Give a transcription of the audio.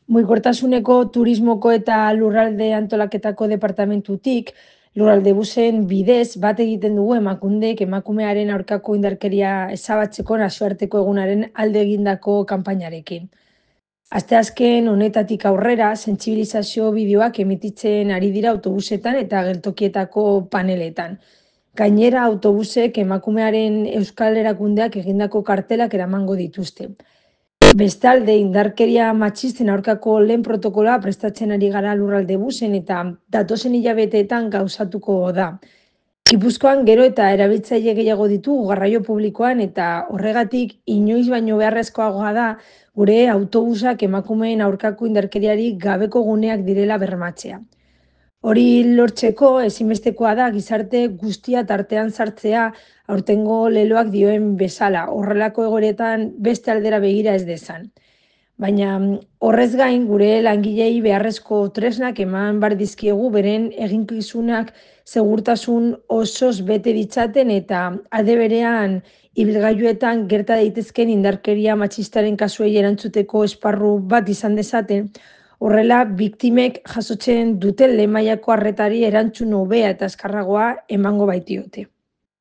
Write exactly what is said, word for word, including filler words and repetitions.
Mugikortasuneko turismoko eta lurralde antolaketako departamentutik, lurralde busen bidez bat egiten dugu emakundek emakumearen aurkako indarkeria ezabatzeko nazioarteko egunaren alde egindako kanpainarekin. Asteazken honetatik aurrera, sentsibilizazio bideoak emititzen ari dira autobusetan eta geltokietako paneletan. Gainera, autobusek emakumearen euskal erakundeak egindako kartelak eramango dituzte. Bestalde, indarkeria matxisten aurkako lehen protokoloa prestatzen ari gara lurralde busen eta datozen hilabeteetan gauzatuko da. Gipuzkoan gero eta erabiltzaile gehiago ditugu garraio publikoan eta horregatik inoiz baino beharrezkoagoa da gure autobusak emakumeen aurkako indarkeriari gabeko guneak direla bermatzea. Hori lortzeko ezinbestekoa da gizarte guztia tartean sartzea aurtengo leloak dioen bezala, horrelako egoeretan beste aldera begira ez dezan. Baina mm, horrez gain gure langilei beharrezko tresnak eman bar dizkiegu beren eginkizunak segurtasun osoz bete ditzaten eta alde berean ibilgailuetan gerta daitezken indarkeria matxistaren kasuei erantzuteko esparru bat izan dezaten, horrela biktimek jasotzen duten lehen mailako arretari erantzun hobea eta azkarragoa emango baitiote.